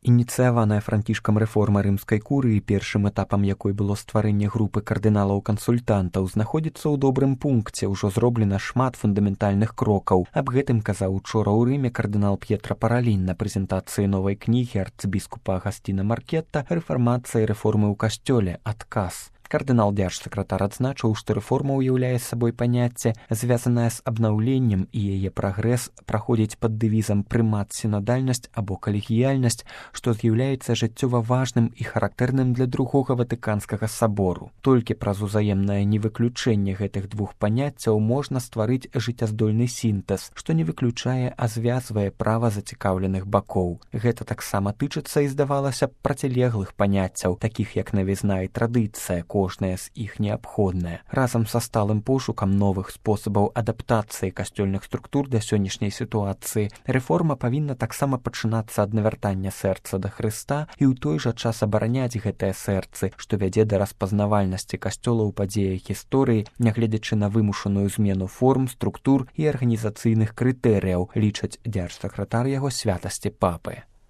Ініцыяваная Францішкам рэформа рымскай курыі, першым этапам якой было стварэнне групы кардыналаў-кансультантаў, знаходзіцца ў добрым пункце, ўжо зроблена шмат фундаментальных крокаў. Аб гэтым казаў учора ў Рыме кардынал П'етра Паралін на прэзентацыі новай кнігі арцыбіскупа Агасціна Маркетта «Рэфармацыя і рэформы ў касцёле. Адказ». Кардынал-дзярж-сакратар адзначыў, што рэформа ўяўляе сабой паняцце, звязанае з абнаўленнем, і яе прагрэс праходзіць пад дэвізам «прымат сінадальнасць» або «калегіяльнасць», што з'яўляецца жыццёва важным і характэрным для другога Ватыканскага сабору. Толькі праз узаемнае невыключэнне гэтых двух паняццяў можна стварыць жыццяздольны сінтэз, што не выключае, а звязвае права зацікаўленых бакоў. Гэта таксама тычыцца і, здавалася б, процілеглых паняццяў, такіх як навізна і традыцыя, кожная з іх неабходная. Разам са сталым пошукам новых спосабаў адаптацыі касцёльных структур да сённяшняй сітуацыі, рэформа павінна таксама пачынацца ад навяртання сэрца да Хрыста і ў той жа час абараняць гэтыя сэрцы, што вядзе да распазнавальнасці касцёла ў падзеях гісторыі, нягледзячы на вымушаную змену форм, структур і арганізацыйных крытэрыяў, лічаць дзярж-сакратар яго святасці папы.